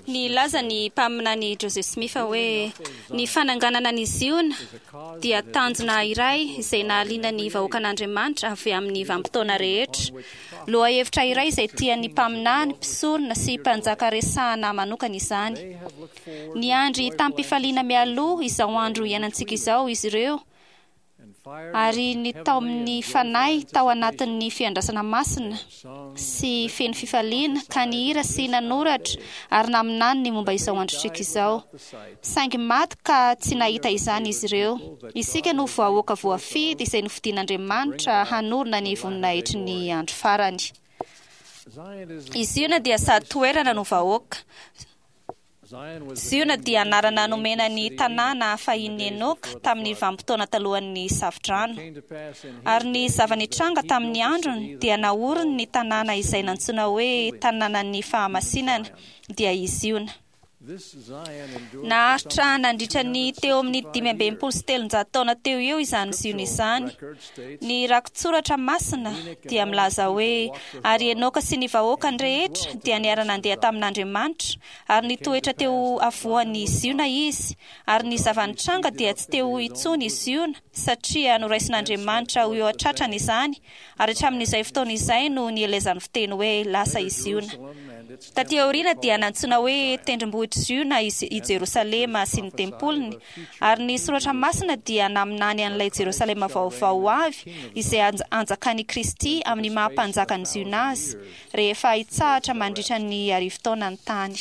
Nilaza ny mpaminany Joseph Smith hoe ny fananganana an'i Ziona dia tanjona iray izay nahaliana ny vahoakan'Andriamanitra avy amin'ny vanim-potoana rehetra. Lohahevitra iray izay tian'ny mpaminany, mpisorona sy mpanjaka resahana manokana izany. Niandry tamim-pifaliana mialoha izao andro iainantsika izao izy ireo ary nitaomin'ny Fanahy tao anatin'ny fiandrasana masina sy feno fifaliana, ka nihira sy nanoratra ary naminany ny momba izao androntsika izao. Saingy maty ka tsy nahita izany izy ireo. Isika no vahoaka voafidy izay nofidin'Andriamanitra hanorina ny voninahitry ny andro farany. I Ziona dia sady toerana no vahoaka. Ziona dia anarana nomena ny tanàna fahin'i Enoka tamin'ny vanim-potoana talohan'ny Safodrano. Ary ny zava-nitranga tamin'ny androny dia naoriny ny tanàna izay nantsoina hoe Tanànan'ny Fahamasinana, dia i Ziona. Naharitra nandritra ny teo amin'ny 365 taona teo eo izany Ziona izany. Ny rakitsoratra masina dia milaza hoe, Ary Enoka sy ny vahoakany rehetra dia niara-nandeha tamin'Andriamanitra, ary nitoetra teo afovoan'i Ziona izy, ary ny zava-nitranga dia tsy teo intsony i Ziona, satria noraisin'Andriamanitra ho eo an-tratrany izany, ary hatramin'izay fotoana izay no nielezan'ny fiteny hoe lasa i Ziona. Tatỳ aoriana dia nantsoina hoe Tendrombohitr'i Ziona i Jerosalema sy ny tempoliny, ary ny Soratra Masina dia naminany an'ilay Jerosalema Vaovao ho avy, izay hanjakan'i Kristy amin'ny maha Mpanjakan'i Ziona azy, rehefa hitsahatra mandritra ny arivotaona ny tany.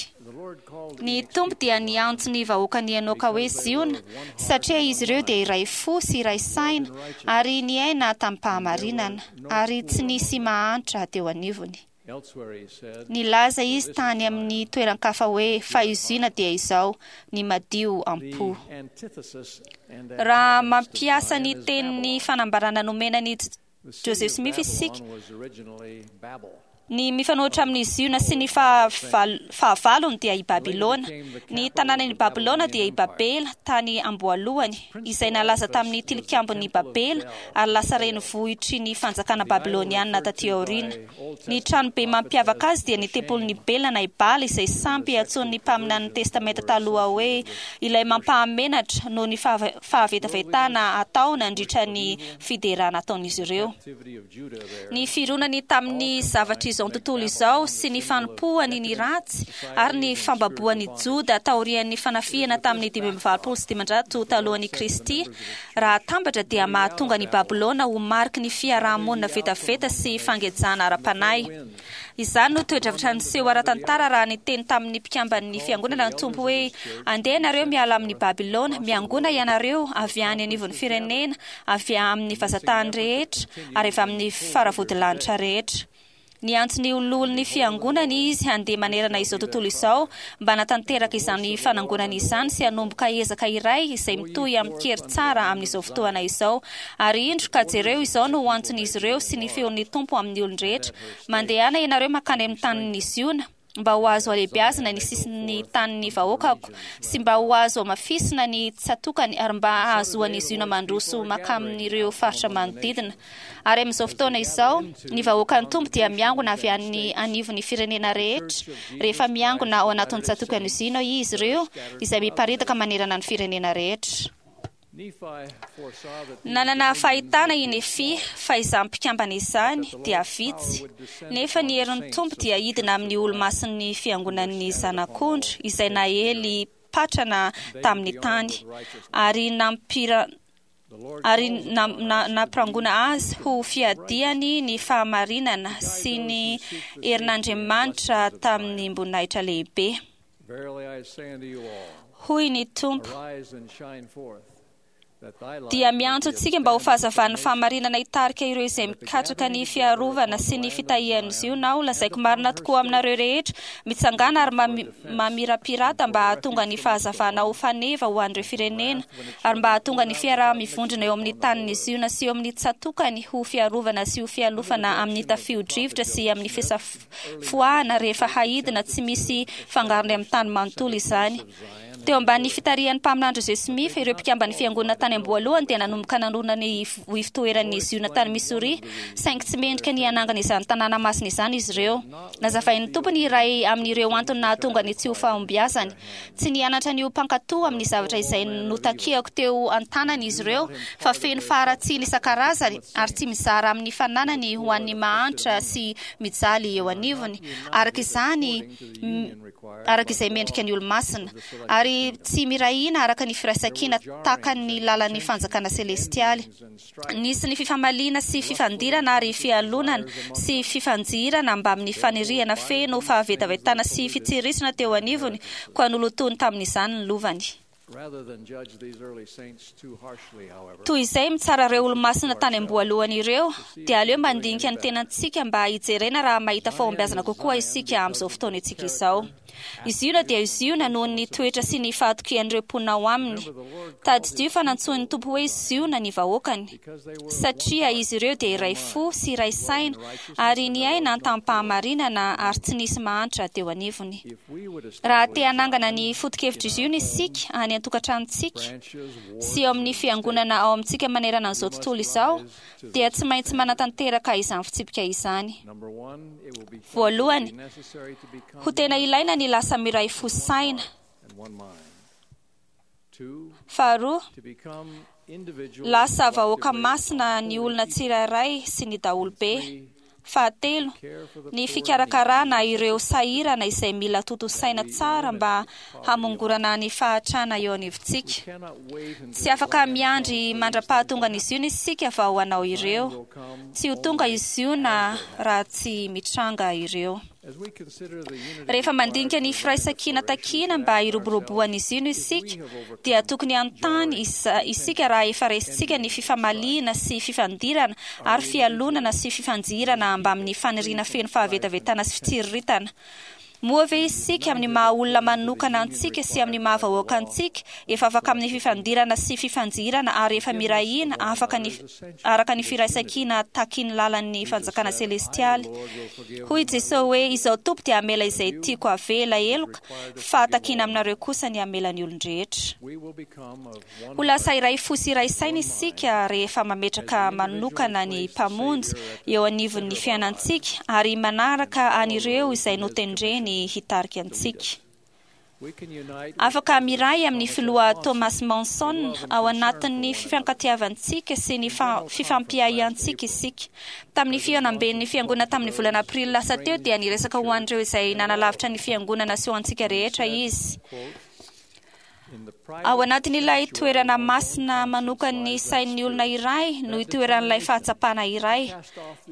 Ny Tompo dia niantso ny vahoakan'i Enoka hoe Ziona, satria izy ireo dia iray fo sy iray saina ary niaina tamim-pahamarinana, ary tsy nisy mahantra teo anivony. Nilaza izy tany amin'ny toeran-kafa hoe, Fa i Ziona dia izao, ny madio am-po. Raha mampiasa ny tenin'ny fanambarana nomena an'i Joseph Smith isika, Ny mifanohitra amin'i Ziona sy ny fahavalony dia i Babylona. Ny tanànan'i Babylona dia i Babela tany am-boalohany, izay nalaza tamin'ny Tilikambon'i Babela ary lasa renivohitry ny fanjakana babylonianina tatỳ aoriana. Ny tranobe mampiavaka azy dia ny tempolin'i Bela na i Bala izay sampy antsoin'ny mpaminanin'ny Testamenta Taloha hoe ilay mampahamenatra noho ny fahavetavetana atao nandritra ny fiderana ataon'izy ireo. Ny fironany tamin'ny zavatr'izao tontolo izao sy ny fanompoany ny ratsy ary ny fambaboan'i Joda taorian'ny fanafihana tamin'ny 585 talohan'i Kristy, raha atambatra dia mahatonga an'i Babylona ho mariky ny fiaraha-monina vetaveta sy fangejana ara-panahy. Izany no toe-javatra niseho ara-tantara raha niteny tamin'ny mpikamban'ny fiangonana ny Tompo hoe, Andeha ianareo miala amin'i Babylona, miangona ianareo avy any anivon'ny firenena, avy amin'ny vazan-tany rehetra, ary avy amin'ny faravodilanitra rehetra. Niantso ny loholon'ny fiangonany izy handeha manerana izao tontolo izao mba hanatanteraka izany fanangonana izany sy hanomboka ezaka iray izay mitohy amin-kery tsara amin'izao fotoana izao. Ary indro, ka jereo, izao no ho antson'izy ireo sy ny feon'ny Tompo amin'ny olon-drehetra, Mandehana ianareo mankany amin'ny tanin'i Ziona, mba ho azo halehibeazina ny sisin'ny tanin'ny vahoakako, sy mba ho azo hamafisina ny tsatokany, ary mba hahazoan'i Ziona mandroso mankamin'ireo faritra manodidina. Ary amin'izao fotoana izao, ny vahoakan'ny Tompo dia miangona avy any anivon'ny firenena rehetra, rehefa miangona ao anatin'ny tsatokan'i Ziona izy ireo, izay miparitaka manerana ny firenena rehetra. Nanana fahitana i Nefia fa izany mpikambana izany dia vitsy, nefa ny herin'ny Tompo dia hidina amin'ny Olomasin'ny Fiangonan'ny Zanak'ondry izay naely patrana tamin'ny tany, ary ary nampirangona azy ho fiadiany ny fahamarinana sy ny herin'Andriamanitra tamim-boninahitra lehibe. Hoy ny Tompo, dia miantso antsika mba ho fahazavan'ny fahamarinana hitarika ireo izay mikatsaka ny fiarovana sy ny fitahian'i Ziona aho. Lazaiko marina tokoa aminareo rehetra, mitsangàna ary mamirapirata mba hahatonga ny fahazavana ho faneva ho an'ireo firenena, ary mba hahatonga ny fiaraha-mivondrona eo amin'ny tanin'i Ziona sy eo amin'ny tsatòkany ho fiarovana sy ho fialofana amin'ny tafio-drivotra sy amin'ny fisafoahana rehefa haidina tsy misy fangarony amin'ny tany manontolo izany. Teo ambanin'ny fitarihan'ny Mpaminany Joseph Smith, ireo mpikamban'ny Fiangonana tany am-boalohany dia nanomboka nanorina ny Ivontoeran'ny Ziona tany Missouri, saingy tsy mendrika ny hanangana izany tanàna masina izany izy ireo. Nazavain'ny Tompo ny iray amin'ireo antony nahatonga ny tsy ho fahombiazany. Tsy nianatra ny ho mpankatò amin'ny zavatra izay notakiako teo an-tanany izy ireo, fa feno faharatsiana isan-karazany ary tsy mizara amin'ny fananany ho an'ny mahantra sy mijaly eo anivony, araka izany araka izay mendrika ny olomasina, ary tsy miray hina araka ny firaisankina takan'ny lalan'ny fanjakana selestialy. Nisy ny fifamaliana sy fifandirana ary fialonana sy fifanjihirana mbamin'ny faniriana feno fahavetavetana sy fitsirisana teo anivony, koa nolotoiny tamin'izany ny lovany. Toy izay mitsara ireo olomasina tany am-boalohany ireo, dia aleo mandinika ny tenantsika mba hijerena raha mahita fahombiazana kokoa isika amin'izao fotoanantsika izao. I Ziona dia i Ziona noho ny toetra sy ny fahatokian'ireo mponina ao aminy. Tadidio fa nantsoin'ny Tompo hoe Ziona ny vahoakany, satria izy ireo dia iray fo sy iray saina ary niaina tamim-pahamarinana ary tsy nisy mahantra teo anivony. Raha te hanangana ny foto-kevitr'i Ziona isika any an-tokantranontsika sy eo amin'ny fiangonana ao amintsika manerana an'izao tontolo izao, dia tsy maintsy manatanteraka izany fitsipika izany. Voalohany, ho tena ilaina ny lasa miray fo saina. Faharoa, lasa vahoaka masina ny olona tsirairay sy ny daholobe. Fahatelo, ny fikarakarana ireo sahirana izay mila tontosaina tsara mba hamongorana ny fahantrana eo anivontsika. Tsy afaka miandry mandra-pahatongan'i Ziona isika vao hanao ireo. Tsy ho tonga i Ziona raha tsy mitranga ireo. Rehefa mandinika ny firaisankina takiana mba hiroboroboan'i Ziona isika, dia tokony hanontany isika raha efa resintsika ny fifamaliana sy fifandirana ary fialonana sy fifanjihirana mbamin'ny faniriana feno fahavetavetana sy fitsiriritana. Moa ve isika, amin'ny maha-olona manokana antsika sy amin'ny maha-vahoaka antsika, efa afaka amin'ny fifandirana sy fifanjihirana ary efa miray hina afaka ny araka ny firaisankina takin'ny lalan'ny fanjakana selestialy? Hoy i Jesoa hoe, Izaho Tompo dia hamela izay tiako havela heloka, fa takiana aminareo kosa ny hamela ny olon-drehetra. Ho lasa iray fo sy iray saina isika rehefa mametraka manokana ny Mpamonjy eo anivon'ny fiainantsika ary manaraka an'ireo izay notendreny hitarika antsika. Afaka miray amin'ny Filoha Thomas Monson ao anatin'ny fifankatiavantsika sy ny fifampiahiantsika isika. Tamin'ny fihaonamben'ny Fiangonana tamin'ny volana Aprily lasa teo dia niresaka ho an'ireo izay nanalavitra ny Fiangonana sy ho antsika rehetra izy. Ao anatin'ilay toerana masina manokan'ny sain'ny olona iray no itoeran'ilay fahatsapana iray,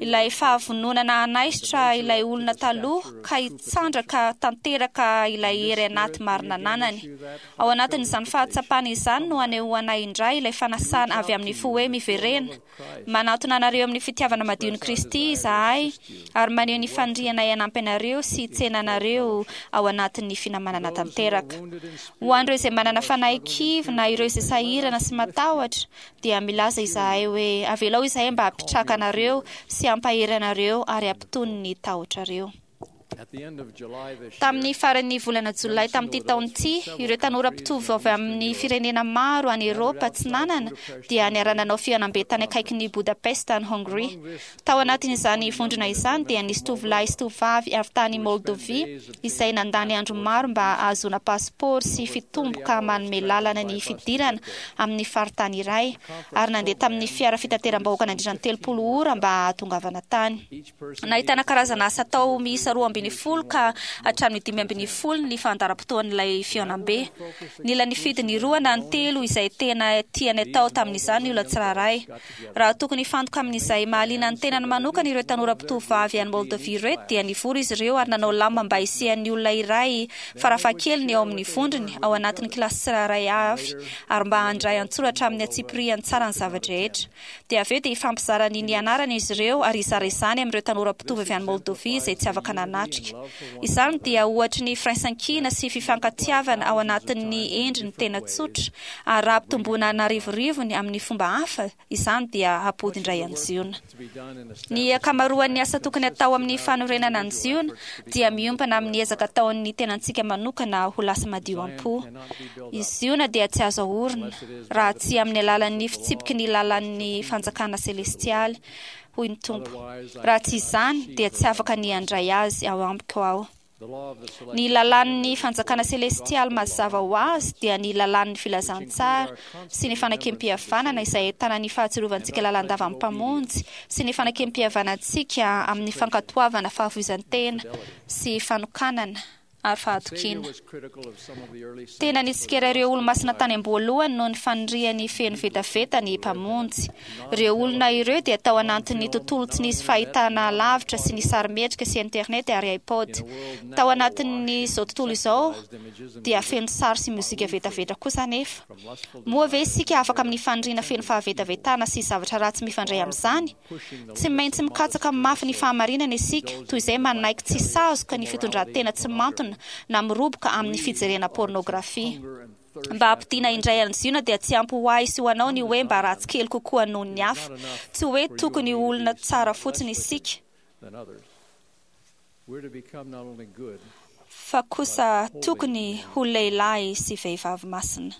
ilay fahavononana hanaisotra ilay olona taloha ka hitsandraka tanteraka ilay hery anaty marina ananany. Ao anatin'izany fahatsapana izany no anehoanay indray ilay fanasana avy amin'ny fo hoe miverena. Manatona anareo amin'ny fitiavana madion'i Kristy izahay ary maneho ny fanirianay hanampy anareo sy hitsena anareo ao anatin'ny finamanana tanteraka. Ho an'ireo izay manana fanahy kivy na ireo izay sahirana sy matahotra, dia milaza izahay hoe avelao izahay mba hampitraka anareo sy hampahery anareo ary hampitony ny tahotrareo. Tamin'ny faran'ny volana Jolay tamin'ity taona ity, ireo tanora mpitovo avy amin'ny firenena maro any Eoropa Atsinanana dia niara-nanao fihaonambe tany akaikin'i Budapest any Hongria. Tao anatin'izany vondrona izany dia nisy tovolahy sy tovovavy avy tany Moldovia izay nandany andro maro mba hahazoana pasipaoro sy fitomboka manome lalana ny fidirana amin'ny faritany iray, ary nandeha tamin'ny fiara fitateram-bahoaka nandritra ny 30 ora mba hahatongavana tany. Nahitana karazana asa atao miisa 12 ka hatramin'ny 15 ny fandaharam-potoan'ilay fihaonambe. Nila nifidy ny roa na ny telo izay tena tiany atao tamin'izany ny olona tsirairay. Raha tokony hifantoka amin'izay mahaliana ny tenany manokana ireo tanora mpitovovavy any Moldovia ireto dia nivory izy ireo ary nanao lamina mba hisian'ny olona iray farafahakeliny ao amin'ny vondrony ao anatin'ny kilasy tsirairay avy ary mba handray an-tsoratra amin'ny antsipiriany tsara ny zava-drehetra. Dia avy eo dia hifampizara ny nianarany izy ireo ary hizara izany amin'ireo tanora mpitovo avy any Moldovia izay tsy afaka nanatrika. isika. Izany dia ohatry ny firaisankina sy fifankatiavana ao anatin'ny endriny tena tsotra, ary raha ampitomboina an'arivorivony amin'ny fomba hafa izany dia hampody indray an'i Ziona. Ny ankamaroan'ny asa tokony hatao amin'ny fanorenana an'i Ziona dia miompana amin'ny ezaka ataon'ny tenantsika manokana ho lasa madio am-po. I Ziona dia tsy azo aorina raha tsy amin'ny alalan'ny fitsipiky ny lalàn'ny fanjakana selestialy, hoy ny Tompo. Raha tsy izany, dia tsy afaka ny handray azy ao amiko Aho. Ny lalàn'ny fanjakana selestialy mazava ho azy dia ny lalàn'ny filazantsara sy ny fanekempihavanana izay ahitana ny fahatsiarovantsika lalandava ny Mpamonjy sy ny fanekempihavanantsika amin'ny fankatoavana fahafoizan-tena sy fanokanana ary fahatokiana. Tena nitsikera ireo Olomasina tany am-boalohany noho ny faniriany feno vetaveta ny Mpamonjy. Ireo olona ireo dia tao anantin'ny tontolo tsy nisy fahitana lavitra sy ny sarimihetsika sy internet ary iPod. Tao anatin'izao tontolo izao dia feno sary sy mozika vetaveta kosa anefa. Moa ve isika afaka amin'ny faniriana feno fahavetavetana sy zavatra ratsy mifandray amin'izany? Tsy maintsy mikatsaka mafy ny fahamarinana isika, toy izay manaiky tsy sazoka ny fitondran-tena tsy mantona na miroboka amin'ny fijerena pôrnôgrafia. Mba hampodiana indray an'i Ziona dia tsy ampy ho ahy sy ho anao ny hoe mba ratsy kely kokoa noho ny hafa. Tsy hoe tokony ho olona tsara fotsiny isika, fa kosa tokony ho lehilahy sy vehivavy masina.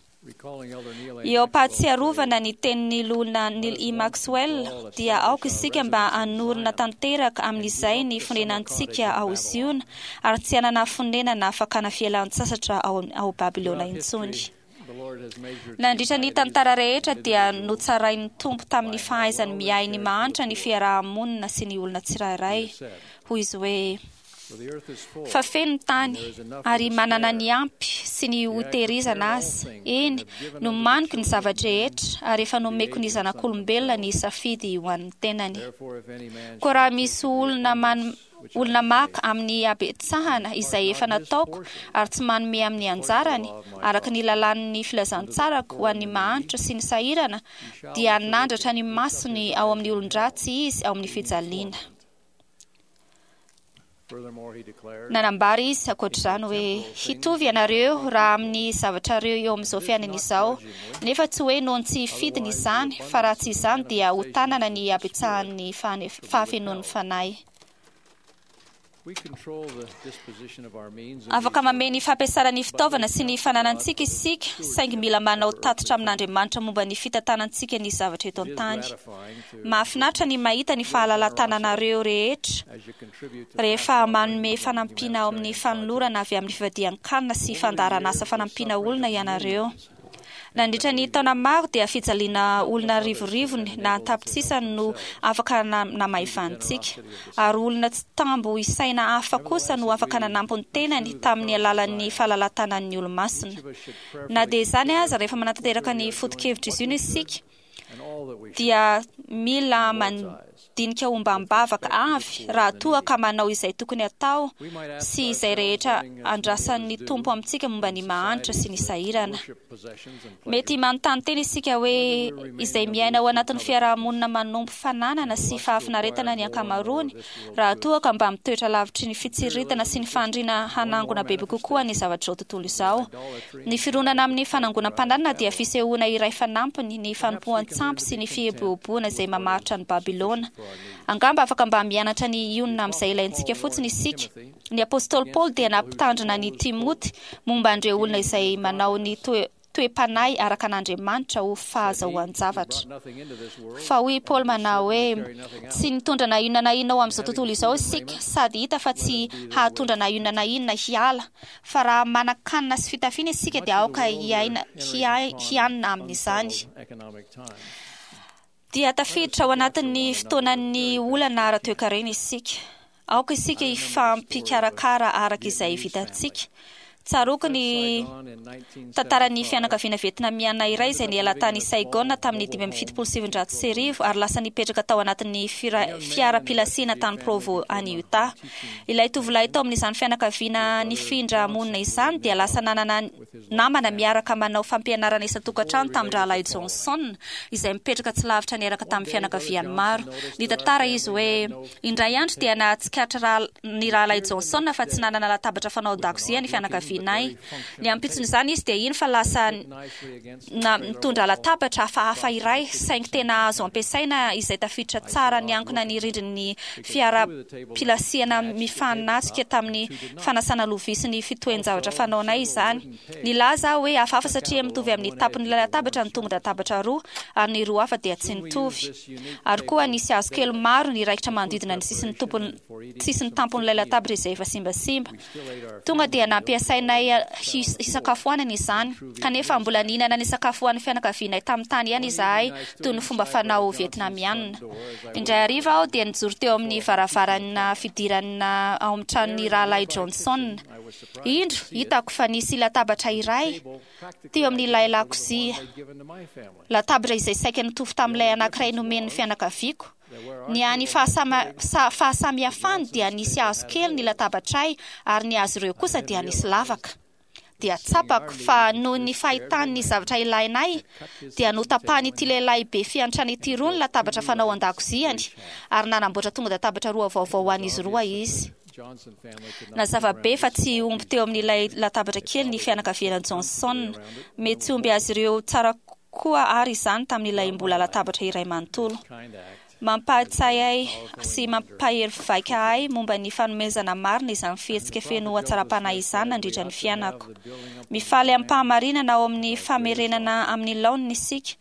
Eo am-pahatsiarovana ny tenin'ny Loholona Neal E. Maxwell, dia aoka isika mba hanorina tanteraka amin'izay ny fonenantsika ao Ziona ary tsy hanana fonenana fakana fialan-tsasatra ao Babylona intsony. Nandritra ny tantara rehetra dia notsarain'ny Tompo tamin'ny fahaizany miahy ny mahantra ny fiaraha-monina sy ny olona tsirairay. Hoy Izy hoe. Fa feno ny tany, ary manana ny ampy sy ny hotehirizana aza, eny, nomaniko ny zava-drehetra, ary efa nomeko ny zanak'olombelona ny safidy ho an'ny tenany. Koa raha misy olona man, olona maka amin'ny habetsahana izay efa nataoko ary tsy manome amin'ny anjarany, araka ny lalàn'ny filazantsarako ho an'ny mahantra sy ny sahirana, dia hanandratra ny masony ao amin'ny olon-dratsy izy ao amin'ny fijaliana. Nanambara izy ankoatr'izany hoe, Hitovy ianareo raha amin'ny zavatrareo eo amin'izao fiainana izao, nefa tsy hoe noho ny tsy fidiny izany, fa raha tsy izany dia ho tanana ny habetsahan'ny fahafenoan'ny Fanahy. Afaka mamehy ny fampiasana ny fitaovana sy ny fananantsika isika, saingy mila manao tatitra amin'Andriamanitra momba ny fitantanantsika ny zavatra eto an-tany. Mahafinaritra ny mahita ny fahalalahan-tananareo rehetra rehefa manome fanampiana ao amin'ny fanolorana avy amin'ny fivadihan-kanina sy fandaharanasa fanampiana olona ianareo. Nandritra ny taona maro dia fijaliana olona arivorivony na an-tapitrisany no afaka namaivanintsika, ary olona tsy tambo isaina hafa kosa no afaka nanampy ny tenany tamin'ny alalan'ny fahalalahan-tanan'ny Olomasina. Na dia izany aza, rehefa manatanteraka ny foto-kevitr'izy io isika, dia mila mandinika ombam-bavaka avy raha toa ka manao izay tokony hatao sy izay rehetra andrasan'ny Tompo amintsika momba ny mahantra sy ny sahirana. Mety manontany tena isika hoe izay miaina ao anatin'ny fiaraha-monina manompo fananana sy fahafinaretana ny ankamaroany raha toa ka mba mitoetra lavitry ny fitsiriritana sy ny faniriana hanangona bebe kokoa ny zavatr'izao tontolo izao. Ny fironana amin'ny fanangonam-pananana dia fisehoana iray fanampiny ny fanompoan-tsampy sy ny fieboeboana izay mamaritra an'i Babylona. Angamba afaka mba mianatra ny hionona amin'izay ilaintsika fotsiny isika. Ny apostoly Paoly dia nampitandrina an'i Timoty momba an'ireo olona izay manao ny toe-panahy araka an'Andriamanitra ho fahazahoan-javatra. Fa hoy i Paoly manao hoe, Tsy nitondra na inona na inona ho amin'izao tontolo izao isika, sady hita fa tsy hahatondra na inona na inona hiala. Fa raha manan-kanina sy fitafiana isika dia aoka hiaina hianina amin'izany. Dia tafiditra ao anatin'ny fotoanan'ny olana ara-toekarena isika. Aoka isika hifampikarakara araka izay vitantsika. Tsaroako ny tantaran'ny fianakaviana vietnamiana iray izay niala tany Saigon tamin'ny 1975 ary lasa nipetraka tao anatin'ny fiara-pilasiana tany Provo any Utah. Ilay tovolahy tao amin'izany fianakaviana nifindra monina izany dia lasa nanana namana miaraka manao fampianarana isan-tokantrano tamin-drahalahy Johnson izay mipetraka tsy lavitra niaraka tamin'ny fianakaviany maro. Nitantara izy hoe, Indray andro dia nahatsikaritra ny rahalahy Johnson fa tsy nanana latabatra fanao an-dakozia ny fianakavianay. Ny ampitson'izany izy dia iny fa lasa nitondra latabatra hafahafa iray, saingy tena azo ampiasaina izay tafiditra tsara niankina ny rindrin'ny fiara-pilasiana mifanatrika tamin'ny fanasana lovia sy ny fitohen-javatra fanaonay izany. Nilaza aho hoe hafahafa satria mitovy amin'ny tampon'ilay latabatra ny tongon-databatra roa, ary ny roa hafa dia tsy nitovy. Ary koa nisy hazo kely maro niraikitra manodidina ny sisin'ny tompon sisin'ny tampon'ilay latabatra izay efa simbasimba. Tonga dia nampiasainay hisakafoanana izany, kanefa mbola nihinana ny sakafo ho an'ny fianakavianay tamin'ny tany ihany izahay toy ny fomba fanao vietnamiana. Indray hariva aho dia nijoro teo amin'ny varavarana fidirana ao amin'ny tranon'ny Rahalahy Johnson. Indro, hitako fa nisy latabatra iray teo amin'ilay lakozia, latabatra izay saika nitovy tamin'ilay anankiray nomen'ny fianakaviako. Ny hany fahasamihafany dia nisy hazo kely ny latabatray ary ny azy ireo kosa dia nisy lavaka. Dia tsapako fa noho ny fahitany ny zavatra ilainay dia notapahan'ity lehilahy be fiantrana ity roa ny latabatra fanao an-dakoziany ary nanamboatra tonga-databatra roa vaovao ho an'izy roa izy. Nazava be fa tsy omby teo amin'ilay latabatra kely ny fianakaviana Johnson. Mety tsy omby azy ireo tsara koa àry izany tamin'ilay mbola latabatra iray manontolo. Mampahatsiahy ahy sy mampahery vaika ahy momba ny fanomezana marina izany fihetsika feno hatsaram-panahy izany nandritra ny fiainako. Mifaly amim-pahamarinana ao amin'ny famerenana amin'ny laoniny isika,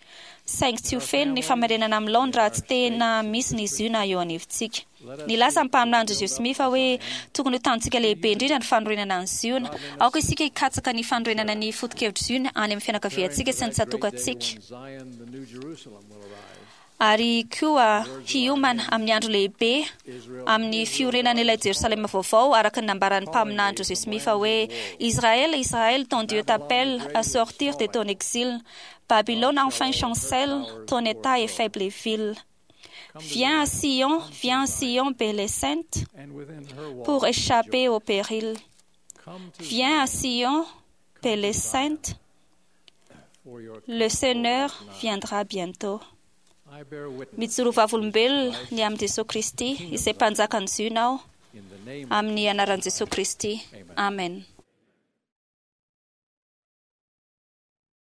saingy tsy ho feno ny famerenana amin'ny laoniny raha tsy tena misy ny Ziona eo anivontsika. Nilaza ny mpaminany Joseph Smith hoe tokony ho tanjontsika lehibe indrindra ny fanorenana an'i Ziona. Aoka isika hikatsaka ny fanorenana ny foto-kevitr'i Ziona any amin'ny fianakaviantsika sy ny tsatòkantsika, ary koa hiomana amin'ny andro lehibe amin'ny fiorenan'ilay Jerosalema vaovao, araka ny nambaran'ny mpaminany Joseph Smith hoe, Israël, Israël, ton Dieu t'appelle à sortir de ton exil. Babylone enfin chancelle, ton état est faible et vil. Viens à Sion, viens à Sion, belle et sainte, pour échapper au péril. Viens à Sion, belle et sainte, le Seigneur viendra bientôt. Mijoro vavolombelona ny amin'i Jesoa Kristy, izay Mpanjakan'i Ziona aho, amin'ny anaran'i Jesoa Kristy. Amen.